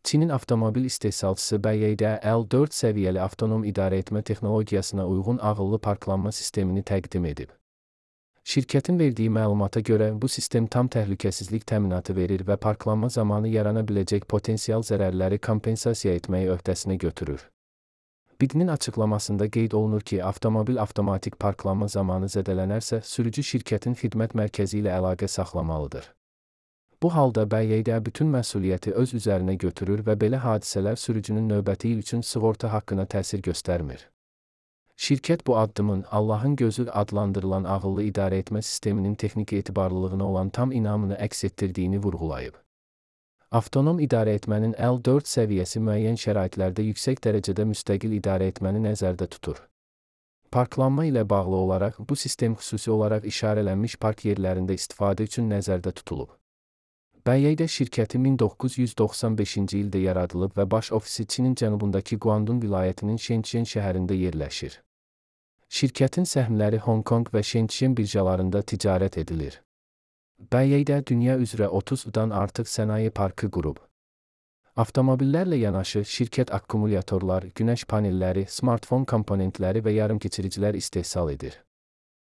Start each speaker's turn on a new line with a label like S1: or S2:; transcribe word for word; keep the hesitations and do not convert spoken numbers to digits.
S1: Çinin avtomobil istehsalçısı B Y D L dörd səviyyəli avtonom idarəetmə texnologiyasına uyğun ağıllı parklanma sistemini təqdim edib. Şirkətin verdiyi məlumata görə bu sistem tam təhlükəsizlik təminatı verir və parklanma zamanı yarana biləcək potensial zərərləri kompensasiya etməyi öhdəsinə götürür. B I D-nin açıqlamasında qeyd olunur ki, avtomobil avtomatik parklanma zamanı zədələnərsə, sürücü şirkətin xidmət mərkəzi ilə əlaqə saxlamalıdır. Bu halda B Y D bütün məsuliyyəti öz üzərinə götürür və belə hadisələr sürücünün növbəti il üçün sığorta haqqına təsir göstərmir. Şirkət bu addımın Allahın gözü adlandırılan ağıllı idarəetmə sisteminin texnik etibarlılığına olan tam inamını əks etdirdiyini vurğulayıb. Avtonom idarəetmənin L dörd səviyyəsi müəyyən şəraitlərdə yüksək dərəcədə müstəqil idarəetməni nəzərdə tutur. Parklanma ilə bağlı olaraq bu sistem xüsusi olaraq işarələnmiş park yerlərində istifadə üçün nəzərdə tutulub. B Y D şirkəti min doqquz yüz doxsan beşinci ildə yaradılıb və baş ofisi Çinin cənubundakı Guandun vilayətinin Shenzhen şəhərində yerləşir. Şirkətin səhmləri Hong Kong və Shenzhen birjalarında ticarət edilir. B Y D dünya üzrə otuzdan artıq sənaye parkı qurub. Avtomobillərlə yanaşı şirkət akkumulyatorlar, günəş panelləri, smartfon komponentləri və yarımkeçiricilər istehsal edir.